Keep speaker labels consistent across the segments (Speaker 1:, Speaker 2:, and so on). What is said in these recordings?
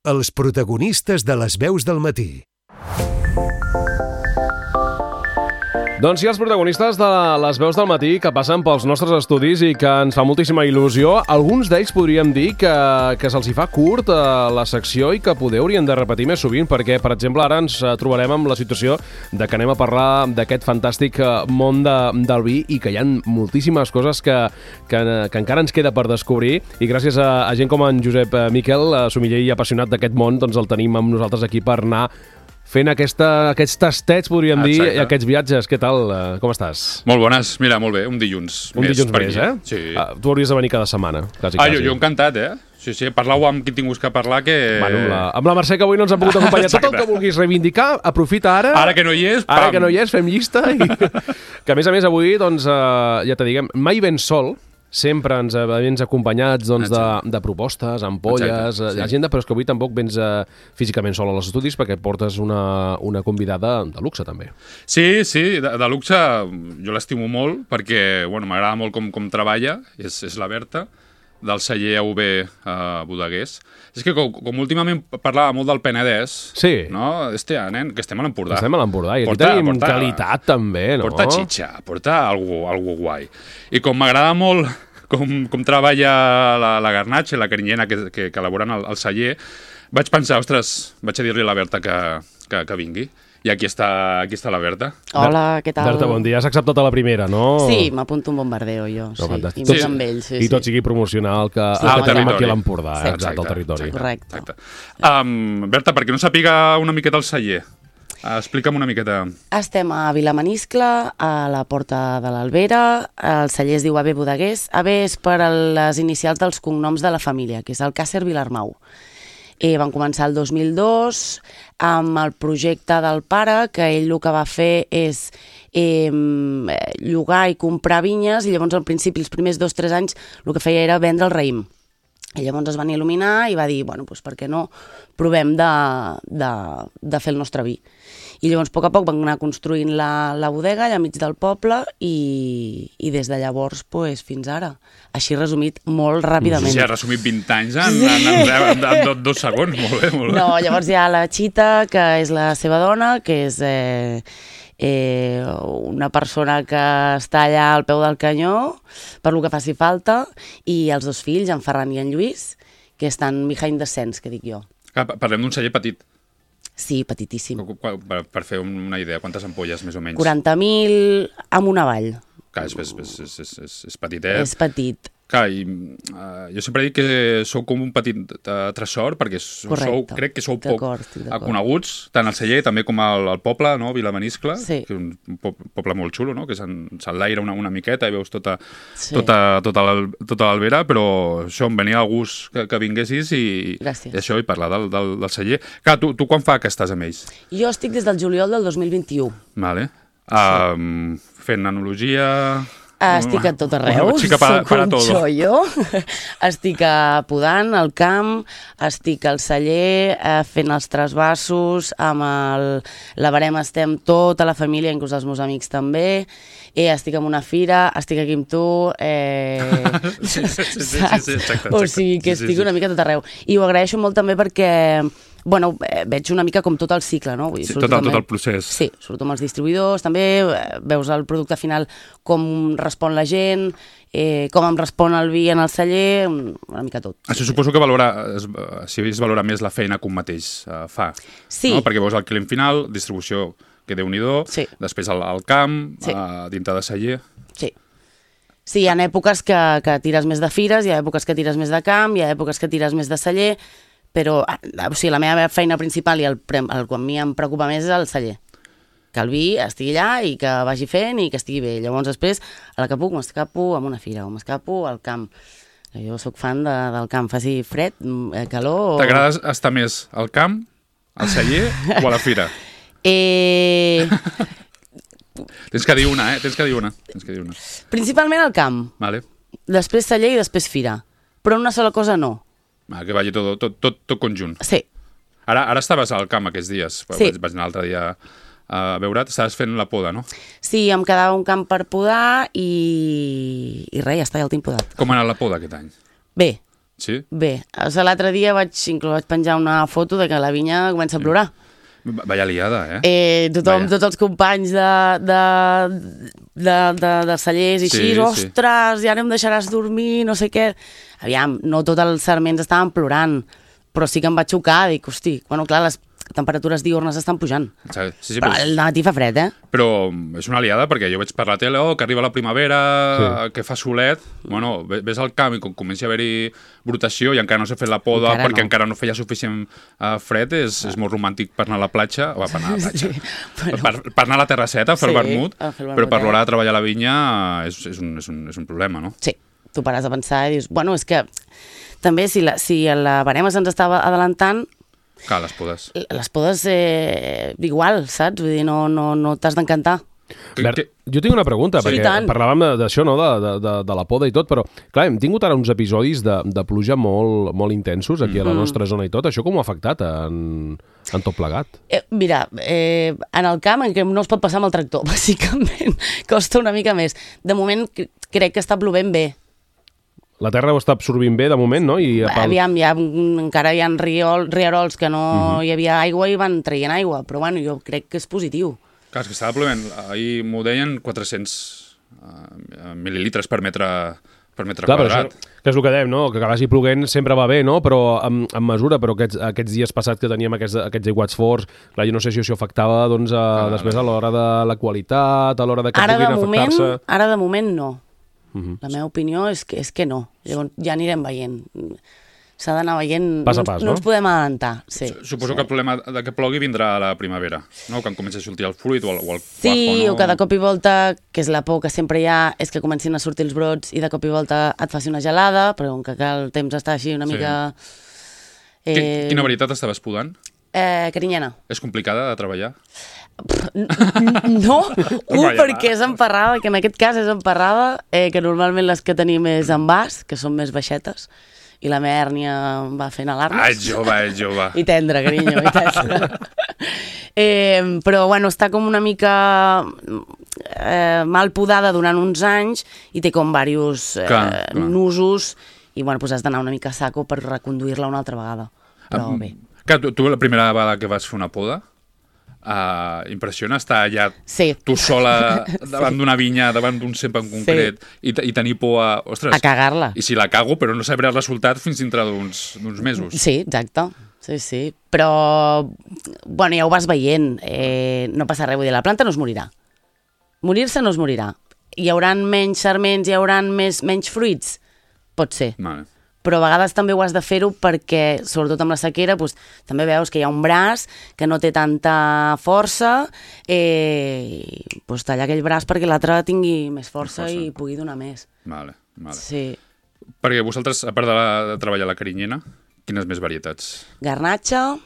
Speaker 1: Els protagonistes de les veus del matí.
Speaker 2: Doncs sí, els protagonistes de les veus del matí que passen pels nostres estudis i que ens fa moltíssima il·lusió. Alguns d'ells podríem dir que se'ls hi fa curt la secció i que poder haurien de repetir més sovint perquè, per exemple, ara ens trobarem amb la situació de que anem a parlar d'aquest fantàstic món del vi i que hi ha moltíssimes coses que encara ens queda per descobrir i gràcies a gent com en Josep Miquel, sommelier i apassionat d'aquest món, doncs el tenim amb nosaltres aquí per anar fent aquests tastets, podríem dir, i aquests viatges. Què tal? Com estàs?
Speaker 3: Molt bones. Mira, molt bé. Un dilluns
Speaker 2: Un dilluns més, eh?
Speaker 3: Sí.
Speaker 2: Tu hauries de venir cada setmana, quasi.
Speaker 3: Jo encantat, eh? Sí, parlau amb qui tinguis que parlar, que...
Speaker 2: Bueno, amb la Mercè, que avui no ens ha pogut acompanyar. Tot el que vulguis reivindicar, aprofita ara.
Speaker 3: Ara que no hi és, pam!
Speaker 2: Ara que no hi és, fem llista. Que a més avui, doncs, ja te diguem, mai ben sol, sempre ens vens acompanyats de propostes, ampolles, agenda, però és que avui tampoc vens físicament sol als estudis perquè portes una convidada de luxe, també.
Speaker 3: Sí, de luxe jo l'estimo molt perquè m'agrada molt com treballa, és la Berta, del celler AUB Bodeguers. És que com últimament parlava molt del Penedès, no? Nen, que estem a l'Empordà.
Speaker 2: Estem a l'Empordà i aquí tenim qualitat també, no?
Speaker 3: Porta xitxa, porta algo guai. I com m'agrada molt com treballa la garnatxa i la carinyena que elaboren al celler, vaig pensar, ostres, vaig a dir-li a la Berta que vingui. I aquí està la Berta.
Speaker 4: Hola, què tal?
Speaker 2: Berta, bon dia. Has acceptat a la primera, no?
Speaker 4: Sí, m'apunto un bombardeo, jo.
Speaker 2: No,
Speaker 4: sí. I més amb ells, sí.
Speaker 2: I tot sigui promocionar el que tenim aquí a l'Empordà, exacte, al territori.
Speaker 4: Correcte.
Speaker 3: Berta, perquè no sàpiga una miqueta el celler, explica'm una miqueta.
Speaker 4: Estem a Vilamaniscle, a la Porta de l'Albera. El celler es diu AUB Bodeguers. AUB és per les inicials dels cognoms de la família, que és Alcàsser Vilarmau. Van començar el 2002 amb el projecte del pare, que ell el que va fer és llogar i comprar vinyes, i llavors al principi, els primers 2-3 anys, el que feia era vendre el raïm. I llavors es van il·luminar i va dir, doncs per què no provem de fer el nostre vi. I llavors, a poc a poc, van anar construint la bodega allà mig del poble i des de llavors fins ara. Així resumit molt ràpidament.
Speaker 3: Sí, ha resumit 20 anys en 2 segons. Molt bé.
Speaker 4: No, llavors hi ha la Chita, que és la seva dona, que és una persona que està allà al peu del canyó per lo que faci falta, i els 2 fills, en Ferran i en Lluís, que estan behind the scenes, que dic jo.
Speaker 3: Parlem d'un celler petit.
Speaker 4: Sí, petitíssim.
Speaker 3: Per fer una idea, quantes ampolles més o menys?
Speaker 4: 40.000 amb una vall.
Speaker 3: Clar, és petitet.
Speaker 4: És petit.
Speaker 3: Clar, jo sempre dic que sou com un petit tresor, perquè crec que sou poc coneguts, tant al celler també com al poble, no? Vilamaniscle, que és un poble molt xulo, no? Que s'enlaira una miqueta i veus tota l'Albera, però això em venia el gust que vinguessis i això, i parlar del celler. Clar, tu quan fa que estàs amb ells?
Speaker 4: Jo estic des del juliol del 2021.
Speaker 3: Vale. Fent enologia...
Speaker 4: Estic a tot arreu, soc un xollo. Estic podant el camp, estic al celler fent els trasbassos, amb la barema estem tota la família, inclús els meus amics també, estic en una fira, estic aquí amb tu,
Speaker 3: exacte.
Speaker 4: O sigui que estic una mica a tot arreu. I ho agraeixo molt també perquè veig una mica com tot el cicle, no?
Speaker 3: Sí, tot el procés.
Speaker 4: Sí, surto amb els distribuïdors, també veus el producte final, com respon la gent, com em respon el vi en el celler, una mica tot.
Speaker 3: Això suposo que es valora més la feina que un mateix fa.
Speaker 4: Sí.
Speaker 3: No? Perquè veus el client final, distribució, que Déu-n'hi-do, després al camp, dintre de celler...
Speaker 4: Sí. Sí, hi ha èpoques que tires més de fires, hi ha èpoques que tires més de camp, hi ha èpoques que tires més de celler, però la meva feina principal i el que a mi em preocupa més és el celler. Que el vi estigui allà i que vagi fent i que estigui bé. Llavors després, a la que puc, m'escapo a una fira o m'escapo al camp. Jo sóc fan del camp, faci fred, calor...
Speaker 3: T'agrada estar més al camp, al celler o a la fira? Tens que dir una, Tens que dir una.
Speaker 4: Principalment al camp.
Speaker 3: Vale.
Speaker 4: Després celler i després fira. Però una sola cosa no.
Speaker 3: Que vagi tot conjunt.
Speaker 4: Sí.
Speaker 3: Ara estaves al camp aquests dies.
Speaker 4: Sí.
Speaker 3: Vaig anar l'altre dia a veure't. Estaves fent la poda, no?
Speaker 4: Sí, em quedava un camp per podar i res, ja està, ja el tinc podat.
Speaker 3: Com ha anat la poda aquest any?
Speaker 4: Bé.
Speaker 3: Sí?
Speaker 4: Bé, o sigui, l'altre dia vaig penjar una foto de que la vinya comença a plorar.
Speaker 3: Vaya liada,
Speaker 4: Tothom,
Speaker 3: Vaya.
Speaker 4: tots els companys de cellers i
Speaker 3: Sí,
Speaker 4: així,
Speaker 3: sí.
Speaker 4: ostres, ja no em deixaràs dormir, no sé què. Aviam, no tots els sarments estaven plorant, però sí que em va xocar, dic, hosti, bueno, clar, les temperatures diurnes estan pujant.
Speaker 3: Sí,
Speaker 4: Però al matí fa fred,
Speaker 3: Però és una liada perquè jo veig per la tele que arriba la primavera, que fa solet. Bueno, ves al camp i quan comença a haver-hi brotació i encara no s'ha fet la poda perquè encara no feia suficient fred, és molt romàntic per anar a la platja, per anar a la platja, per anar a la terrasseta, a fer el vermut, però per l'hora de treballar a la vinya és un problema, no?
Speaker 4: Sí, tu pares a pensar i dius, bueno, és que també si la barema se'ns estava adelantant,
Speaker 3: Clar, les podes.
Speaker 4: igual, saps? Vull dir, no t'has d'encantar.
Speaker 2: Jo tinc una pregunta, perquè parlàvem d'això, no? de la poda i tot, però clar, hem tingut ara uns episodis de pluja molt intensos aquí a la nostra zona i tot. Això com ho ha afectat en tot plegat?
Speaker 4: Mira, en el camp en què no es pot passar amb el tractor, bàsicament, costa una mica més. De moment crec que està plovent bé.
Speaker 2: La terra ho està absorbint bé, de moment, no?
Speaker 4: Aviam, encara hi ha rierols que no hi havia aigua i van traient aigua, però bueno, jo crec que és positiu.
Speaker 3: Clar, és que estava plovent, ahir m'ho deien 400 mil·lilitres per metre quadrat.
Speaker 2: Que és el que dèiem, no? Que vagi ploguent sempre va bé, no? Però en mesura, però aquests dies passats que teníem aquests aiguats forts, clar, jo no sé si això afectava després a l'hora de la qualitat, a l'hora de que puguin afectar-se.
Speaker 4: Ara de moment no. La meva opinió és que no. Llavors ja anirem veient. S'ha d'anar veient...
Speaker 2: Pas a pas,
Speaker 4: no ens podem adelantar. Sí.
Speaker 3: Suposo que el problema de que plogui vindrà a la primavera, no? Quan comença a sortir el fruit o el cuajo,
Speaker 4: sí,
Speaker 3: no?
Speaker 4: O que de cop i volta, que és la por que sempre hi ha, és que comencin a sortir els brots i de cop i volta et faci una gelada, però com que el temps està així una mica...
Speaker 3: Quina varietat estaves podant?
Speaker 4: Carinyena.
Speaker 3: És complicada de treballar?
Speaker 4: No, perquè és emparrada, que en aquest cas és emparrada, que normalment les que tenim és en vas, que són més baixetes, i la meva hèrnia va fent alarmes.
Speaker 3: Ets jove.
Speaker 4: I tendre, carinyo, i tendre. Però, bueno, està com una mica mal podada durant uns anys i té com diversos nusos i, bueno, doncs has d'anar una mica a saco per reconduir-la una altra vegada. Però bé.
Speaker 3: Clar, tu la primera vegada que vas fer una poda, impressiona estar allà tu sola davant d'una vinya, davant d'un cep en concret i tenir por a
Speaker 4: cagar-la.
Speaker 3: I si la cago, però no sabré el resultat fins dintre d'uns mesos.
Speaker 4: Sí, exacte. Sí. Però, bueno, ja ho vas veient. No passa res, vull dir, la planta no es morirà. Morir-se no es morirà. Hi haurà menys sarments, hi haurà menys fruits? Pot ser.
Speaker 3: Vale.
Speaker 4: Però a vegades també ho has de fer-ho perquè, sobretot amb la sequera, doncs, també veus que hi ha un braç que no té tanta força, doncs tallar aquell braç perquè l'altre tingui més força i pugui donar més.
Speaker 3: Vale.
Speaker 4: Sí.
Speaker 3: Perquè vosaltres, a part de treballar la carinyena, quines més varietats?
Speaker 4: Garnatxa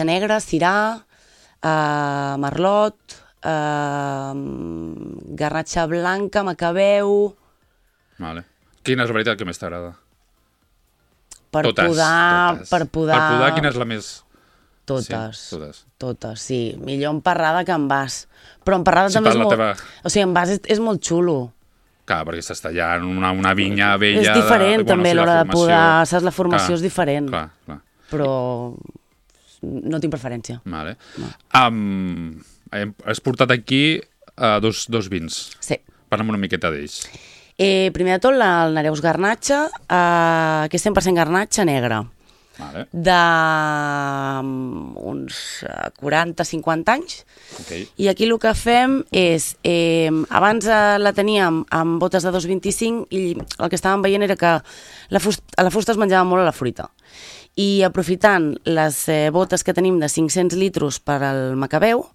Speaker 4: negra, cirà, merlot, garnatxa blanca, macabeu...
Speaker 3: Vale. Quina és la varietat que més t'agrada?
Speaker 4: Per podar...
Speaker 3: Per podar, quina és la més...
Speaker 4: Totes, sí. Millor emparrada que en vas. Però emparrada també és molt... O sigui, en vas és molt xulo.
Speaker 3: Clar, perquè s'està tallant una vinya vella...
Speaker 4: És diferent també a l'hora de podar, saps? La formació és diferent.
Speaker 3: Clar.
Speaker 4: Però no tinc preferència.
Speaker 3: Vale. Has portat aquí dos vins.
Speaker 4: Sí.
Speaker 3: Parla'm una miqueta d'ells.
Speaker 4: Primer de tot, el Nereus Garnatxa, que és 100% garnatxa negra.
Speaker 3: Vale.
Speaker 4: D'uns 40-50 anys.
Speaker 3: Okay.
Speaker 4: I aquí el que fem és... abans la teníem amb botes de 2,25 i el que estàvem veient era que a la fusta es menjava molt a la fruita. I aprofitant les botes que tenim de 500 litres per al macabeu,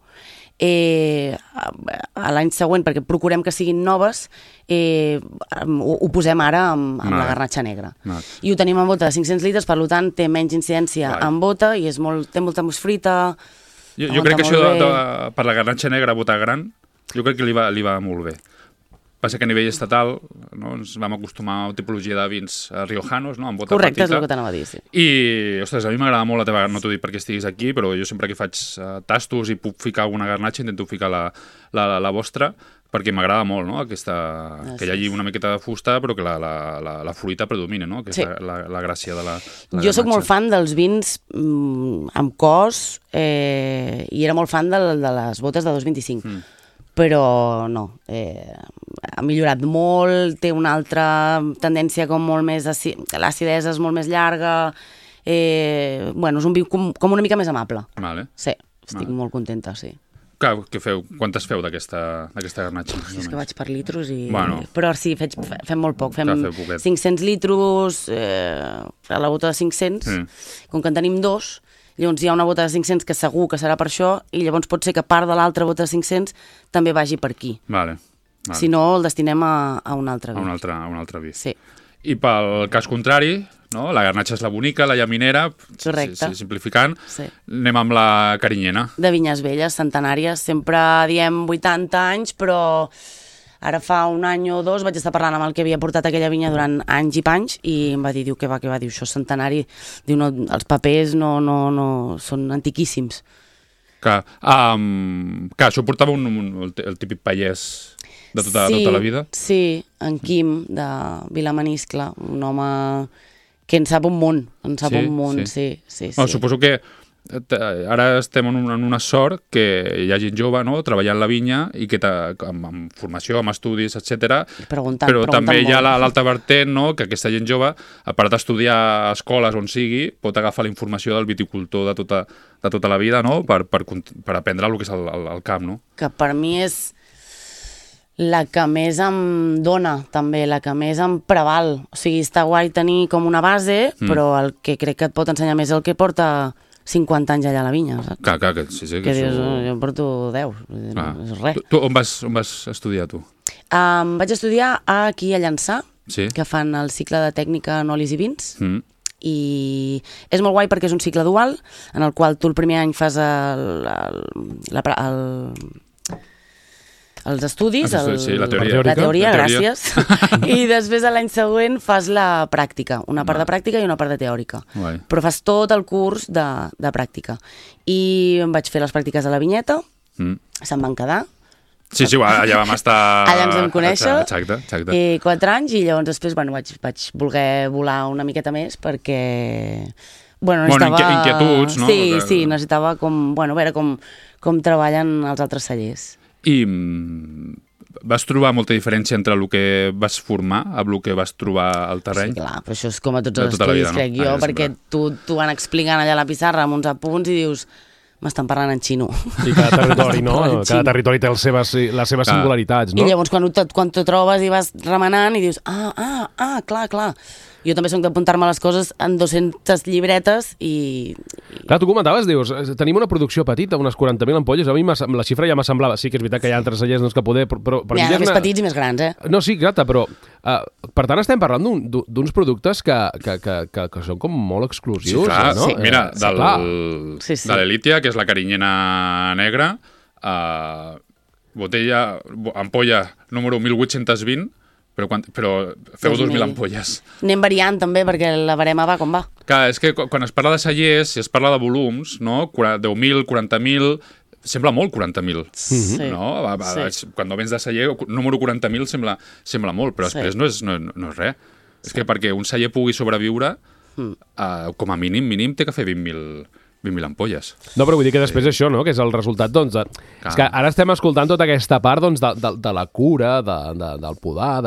Speaker 4: a l'any següent, perquè procurem que siguin noves, ho posem ara amb la garnatxa negra. I ho tenim en bota de 500 litres, per tant té menys incidència en bota i té molta més fruita.
Speaker 3: Jo crec que això per la garnatxa negra, bota gran, jo crec que li va molt bé. passa que a nivell estatal, no, ens vam acostumar a una tipologia de vins riojanos, no, amb bota
Speaker 4: Correcte,
Speaker 3: petita.
Speaker 4: és el que t'anava a dir, sí.
Speaker 3: I, ostres, a mi m'agrada molt la teva... No t'ho dic perquè estiguis aquí, però jo sempre que faig tastos i puc ficar alguna garnatxa intento ficar la vostra, perquè m'agrada molt, no? Que hi hagi una miqueta de fusta, però que la fruita predomina, no? Que és la gràcia de la garnatxa.
Speaker 4: Jo sóc molt fan dels vins amb cos i era molt fan de les botes de 2,25. Però no, ha millorat molt, té una altra tendència com molt més... L'acidesa és molt més llarga, bueno, és un vi com una mica més amable.
Speaker 3: Vale.
Speaker 4: Sí, estic molt contenta, sí.
Speaker 3: Clar, què feu? Quantes feu d'aquesta garnatxa?
Speaker 4: És que vaig per litros i...
Speaker 3: Bueno.
Speaker 4: Però sí, fem molt poc, fem
Speaker 3: Clar,
Speaker 4: 500 litros a la bota de 500, com que en tenim dos, llavors hi ha una bota de 500 que segur que serà per això, i llavors pot ser que part de l'altra bota de 500 també vagi per aquí.
Speaker 3: Vale.
Speaker 4: Si no, el destinem a un altre vi.
Speaker 3: A un altre vi.
Speaker 4: Sí.
Speaker 3: I pel cas contrari, no? La garnatxa és la bonica, la llaminera, simplificant, anem amb la carinyena.
Speaker 4: De vinyes velles, centenàries, sempre diem 80 anys, però ara fa un any o dos vaig estar parlant amb el que havia portat aquella vinya durant anys i panys i em va dir, què va, diu, això és centenari, diu, no, els papers no, són antiquíssims.
Speaker 3: Clar, això portava el típic pallès de tota la vida?
Speaker 4: Sí, en Quim, de Vilamaniscle, un home que en sap un munt, sí.
Speaker 3: Suposo que ara estem en una sort que hi ha gent jove, no?, treballant la vinya i que amb formació, amb estudis, etc. Però també hi ha l'alta vertent, no?, que aquesta gent jove, a part d'estudiar a escoles on sigui, pot agafar la informació del viticultor de tota la vida, no?, per aprendre el que és el camp, no?
Speaker 4: Que per mi és la que més em dona, també, la que més em preval. O sigui, està guai tenir com una base, però el que crec que et pot ensenyar més és el que porta 50 anys allà a la vinya, saps?
Speaker 3: Clar, sí.
Speaker 4: Que dius, jo porto 10, és res.
Speaker 3: Tu on vas estudiar, tu?
Speaker 4: Vaig estudiar aquí a Llançà, que fan el cicle de tècnica en olis i vins, i és molt guai perquè és un cicle dual, en el qual tu el primer any fas els estudis,
Speaker 3: la teoria,
Speaker 4: gràcies, i després l'any següent fas la pràctica, una part de pràctica i una part de teòrica. Però fas tot el curs de pràctica. I em vaig fer les pràctiques a la vinyeta, se'n van quedar.
Speaker 3: Sí, allà vam estar...
Speaker 4: Allà ens vam conèixer,
Speaker 3: exacte.
Speaker 4: 4 anys, i llavors després vaig voler volar una miqueta més perquè... necessitava...
Speaker 3: inquietuds, no?
Speaker 4: Sí, necessitava veure com treballen els altres cellers.
Speaker 3: I vas trobar molta diferència entre el que vas formar amb el que vas trobar al terreny?
Speaker 4: Sí, clar, però això és com a tots els estudis, crec jo, perquè tu van explicant allà a la pissarra amb uns apunts i dius, m'estan parlant en xino.
Speaker 2: I cada territori, no? Cada territori té les seves singularitats, no?
Speaker 4: I llavors quan t'ho trobes i vas remenant i dius, clar. Jo també soc d'apuntar-me les coses en 200 llibretes i...
Speaker 2: Clar, tu comentaves, dius, tenim una producció petita, unes 40.000 ampolles, a mi la xifra ja m'assemblava, sí que és veritat que hi ha altres cellers que poder, però...
Speaker 4: Hi ha més petits i més grans,
Speaker 2: No, sí, exacte, però per tant estem parlant d'uns productes que són com molt exclusius, no?
Speaker 3: Sí, mira, de l'Elitia, que és la carinyena negra, ampolla número 1820, però feu 2.000 ampolles.
Speaker 4: Anem variant també, perquè la barema va com va.
Speaker 3: Clar, és que quan es parla de cellers, si es parla de volums, no? 10.000, 40.000, sembla molt 40.000.
Speaker 4: Sí.
Speaker 3: No? Quan vens de celler, número 40.000 sembla molt, però després no és res. És que perquè un celler pugui sobreviure, com a mínim té que fer 20.000 ampolles.
Speaker 2: No, però vull dir que després això, no?, que és el resultat, doncs... És que ara estem escoltant tota aquesta part, doncs, de la cura, del podar,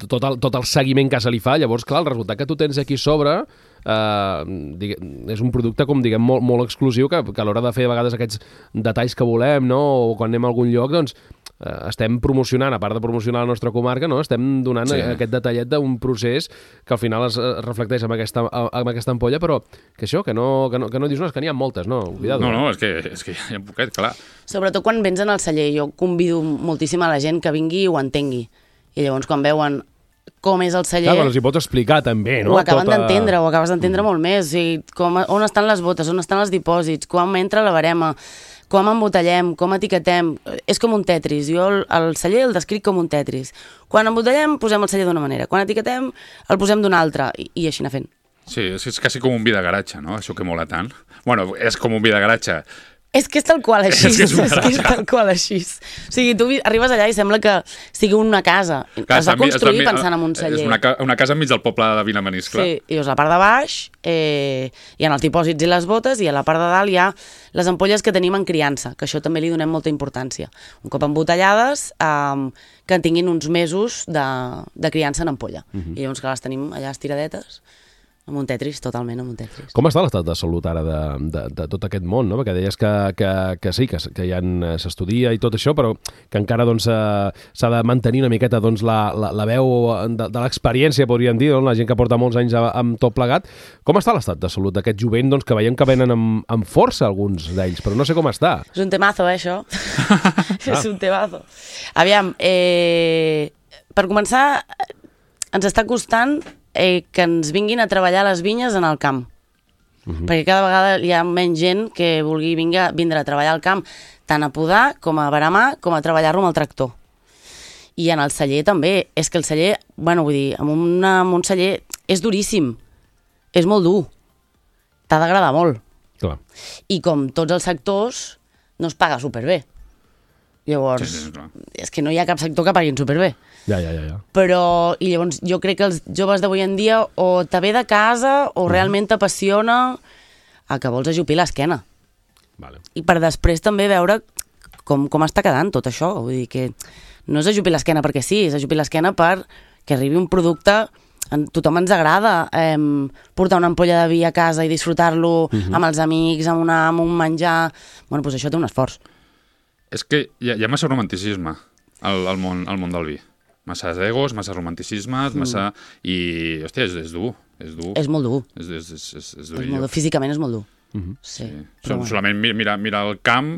Speaker 2: tot el seguiment que se li fa. Llavors, clar, el resultat que tu tens aquí sobre és un producte, com diguem, molt exclusiu, que a l'hora de fer a vegades aquests detalls que volem, no?, o quan anem a algun lloc, doncs, estem promocionant, a part de promocionar la nostra comarca, no?, estem donant aquest detallet d'un procés que al final es reflecteix amb aquesta ampolla, però que això, que no dius, no, és que n'hi ha moltes, no? Cuidado.
Speaker 3: No, és que hi ha poquet, clar.
Speaker 4: Sobretot quan vens en el celler, jo convido moltíssim a la gent que vingui i ho entengui. I llavors quan veuen com és el celler...
Speaker 2: Clar, però els hi pots explicar també, no?
Speaker 4: Ho acaben d'entendre, ho acabes d'entendre molt més. O sigui, on estan les botes, on estan els dipòsits, quan entra la barema, com embotellem, com etiquetem, és com un Tetris. Jo el celler el descric com un Tetris. Quan embotellem, posem el celler d'una manera. Quan etiquetem, el posem d'una altra. I així anar fent.
Speaker 3: Sí, és quasi com un vi de garatge, no? Això que mola tant. Bueno, és com un vi de garatge.
Speaker 4: És que és tal qual així.
Speaker 3: És que és
Speaker 4: tal qual així. O sigui, tu arribes allà i sembla que sigui una casa.
Speaker 3: Clar,
Speaker 4: es va construir pensant en un celler.
Speaker 3: És una casa enmig del poble de Vilamaniscle.
Speaker 4: Sí, i llavors a la part de baix hi ha els dipòsits i les botes, i a la part de dalt hi ha les ampolles que tenim en criança, que això també li donem molta importància. Un cop embotellades, que tinguin uns mesos de criança en ampolla. I llavors que les tenim allà estiradetes, amb un Tetris, totalment amb un Tetris.
Speaker 2: Com està l'estat de salut ara de tot aquest món, no? Perquè deies que sí, que ja s'estudia i tot això, però que encara doncs, s'ha de mantenir una miqueta doncs, la veu de l'experiència, podríem dir, la gent que porta molts anys amb tot plegat. Com està l'estat de salut d'aquest jovent doncs, que veiem que venen amb força alguns d'ells, però no sé com està.
Speaker 4: És un temazo, això. És un temazo. Aviam, per començar, ens està costant que ens vinguin a treballar a les vinyes en el camp. Perquè cada vegada hi ha menys gent que vulgui vindre a treballar al camp, tant a podar, com a veramar, com a treballar-lo amb el tractor. I en el celler també. És que el celler, bueno, vull dir, amb un celler és duríssim. És molt dur. T'ha d'agradar molt.
Speaker 2: Clar.
Speaker 4: I com tots els sectors, no es paga superbé. Llavors,
Speaker 3: Sí, clar.
Speaker 4: és que no hi ha cap sector que paguin superbé.
Speaker 2: Ja.
Speaker 4: Però, i llavors jo crec que els joves d'avui en dia o te ve de casa o realment t'apassiona a que vols ajupir l'esquena.
Speaker 2: Vale.
Speaker 4: I per després també veure com està quedant tot això. Vull dir que no és ajupir l'esquena perquè sí, és ajupir l'esquena per que arribi un producte. A tothom ens agrada portar una ampolla de vi a casa i disfrutar-lo amb els amics, amb un menjar. Bueno, doncs això té un esforç.
Speaker 3: És que hi ha massa romanticisme al món del vi. Massa egos, massa romanticismes, massa... I, hòstia, és dur.
Speaker 4: És molt dur.
Speaker 3: És
Speaker 4: És
Speaker 3: durillo.
Speaker 4: molt dur. Físicament és molt dur. Sí.
Speaker 3: Solament mirar el camp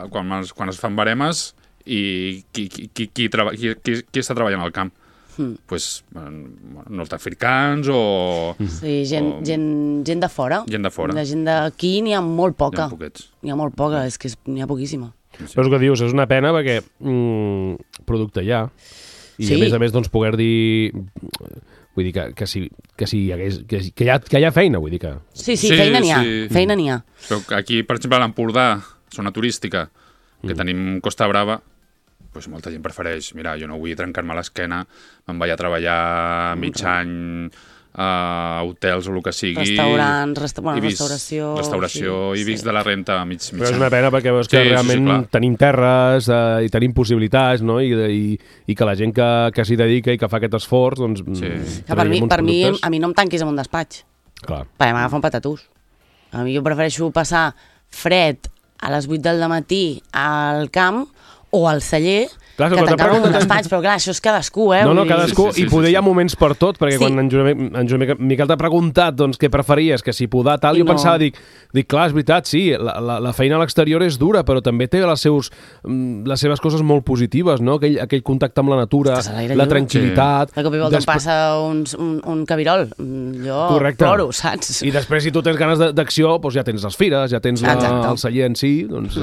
Speaker 3: quan es fan baremes i qui està treballant al camp. Pues, nord-africans o...
Speaker 4: Sí, gent de fora.
Speaker 3: Gent de fora.
Speaker 4: La gent d'aquí n'hi ha molt poca.
Speaker 3: Hi ha poquets.
Speaker 4: N'hi ha molt poca, és que n'hi ha poquíssima.
Speaker 2: Però és el que dius, és una pena perquè producte hi ha. I
Speaker 4: Sí.
Speaker 2: a més doncs, poder dir... Vull dir que hi ha feina, vull dir que...
Speaker 4: Sí, feina n'hi ha.
Speaker 3: Sí.
Speaker 4: Feina n'hi ha.
Speaker 3: Però aquí, per exemple, a l'Empordà, zona turística, que tenim Costa Brava, pues molta gent prefereix, mira, jo no vull trencar-me l'esquena, me'n vaig a treballar mig any a hotels o el que sigui.
Speaker 4: Restaurants,
Speaker 3: i vist
Speaker 4: restauració.
Speaker 3: I vist de la renta mig
Speaker 2: Però és
Speaker 3: any.
Speaker 2: una pena perquè veus que realment tenim terres i tenim possibilitats, no? I que la gent que s'hi dedica i que fa aquest esforç, doncs...
Speaker 4: Que per mi, a mi no em tanquis en un despatx.
Speaker 2: Clar.
Speaker 4: Perquè m'agafa un patatús. A mi jo prefereixo passar fred a les 8 del matí al camp o al celler,
Speaker 2: Clar,
Speaker 4: que tancar un despatx, però clar, això és cadascú,
Speaker 2: No, cadascú,
Speaker 3: Sí.
Speaker 2: i poder hi ha moments per tot, perquè
Speaker 4: Sí.
Speaker 2: quan en Joan Miquel t'ha preguntat doncs, què preferies, que si podar tal, jo
Speaker 4: No.
Speaker 2: pensava, dic, clar, és veritat, sí, la feina a l'exterior és dura, però també té les seves coses molt positives, no? Aquell contacte amb la natura,
Speaker 4: Estàs a l'aire
Speaker 2: la
Speaker 4: lliure.
Speaker 2: tranquil·litat...
Speaker 4: De cop i volta em passa un cabirol. Jo
Speaker 2: Correcte.
Speaker 4: ploro, saps?
Speaker 2: I després, si tu tens ganes d'acció, doncs ja tens les fires, ja tens
Speaker 4: Exacte.
Speaker 2: el celler en si, doncs...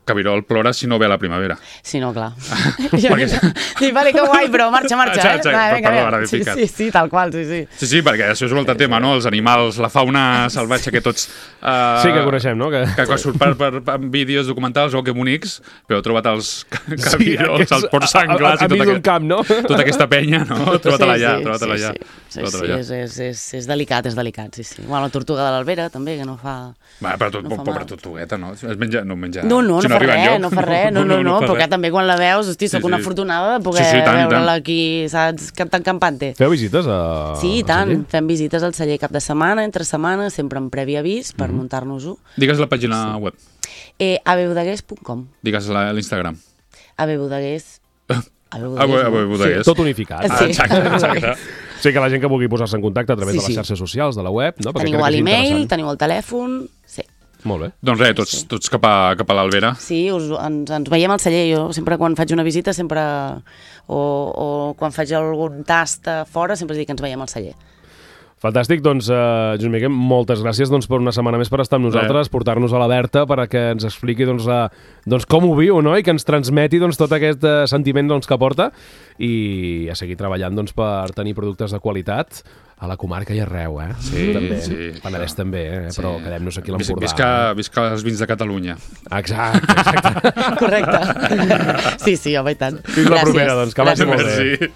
Speaker 3: Cabirol plora si no ve a la primavera.
Speaker 4: Sí, no, clar. Dic, vale, que guai, però marxa,
Speaker 3: Exacte,
Speaker 4: Va,
Speaker 3: perdó, ara m'he picat.
Speaker 4: Sí, tal qual, sí.
Speaker 3: Sí, perquè això és un altre tema, no? Els animals, la fauna salvatge que tots...
Speaker 2: Sí, que coneixem, no?
Speaker 3: Que quan surt per vídeos documentals o que bonics, però he trobat els cabirols, els porcs senglars
Speaker 2: a mig d'un camp, no?
Speaker 3: tota aquesta penya, no? Troba-te-la allà,
Speaker 4: Sí, és delicat, sí. Bueno, la tortuga de l'Albera, també, que no fa...
Speaker 3: Va, però
Speaker 4: no fa
Speaker 3: pobra
Speaker 4: mal.
Speaker 3: tortugueta, no? No menja...
Speaker 4: No
Speaker 3: Si
Speaker 4: fa
Speaker 3: arriba
Speaker 4: res,
Speaker 3: enlloc.
Speaker 4: no fa res, no, però que també quan la veus, hosti, soc una afortunada de poder veure-la aquí, saps, tan campante.
Speaker 2: Feu visites a...
Speaker 4: Sí, i tant, fem visites al celler cap de setmana, entre setmana, sempre amb previ avís per muntar-nos-ho.
Speaker 3: Digues la pàgina web.
Speaker 4: abeudagués.com
Speaker 3: Digues l'Instagram.
Speaker 4: abeudagués.
Speaker 3: Bodegués.
Speaker 2: Sí, tot unificat.
Speaker 4: Sí.
Speaker 3: Exacte.
Speaker 2: Sí, que la gent que vulgui posar-se en contacte a través
Speaker 4: Sí,
Speaker 2: de les
Speaker 4: sí.
Speaker 2: xarxes socials, de la web, no? Perquè
Speaker 4: Teniu
Speaker 2: crec que és
Speaker 4: l'email,
Speaker 2: interessant.
Speaker 4: teniu el telèfon... Sí.
Speaker 2: Molt bé.
Speaker 3: Doncs res, tots cap a l'Albera.
Speaker 4: Sí, ens veiem al celler. Jo sempre quan faig una visita, o quan faig algun tast a fora, sempre dic que ens veiem al celler.
Speaker 2: Fantàstic, doncs, Joan Miguel, moltes gràcies per una setmana més per estar amb nosaltres, portar-nos a la Berta perquè ens expliqui com ho viu, no? I que ens transmeti tot aquest sentiment que porta i a seguir treballant per tenir productes de qualitat a la comarca i arreu,
Speaker 3: Sí,
Speaker 2: també.
Speaker 3: sí.
Speaker 2: Penedès també, però quedem-nos aquí a l'Empordà.
Speaker 3: Visca els vins de Catalunya.
Speaker 2: Exacte.
Speaker 4: Correcte. Sí, home, i tant.
Speaker 2: Fins la propera, que vagi molt bé.
Speaker 3: Merci.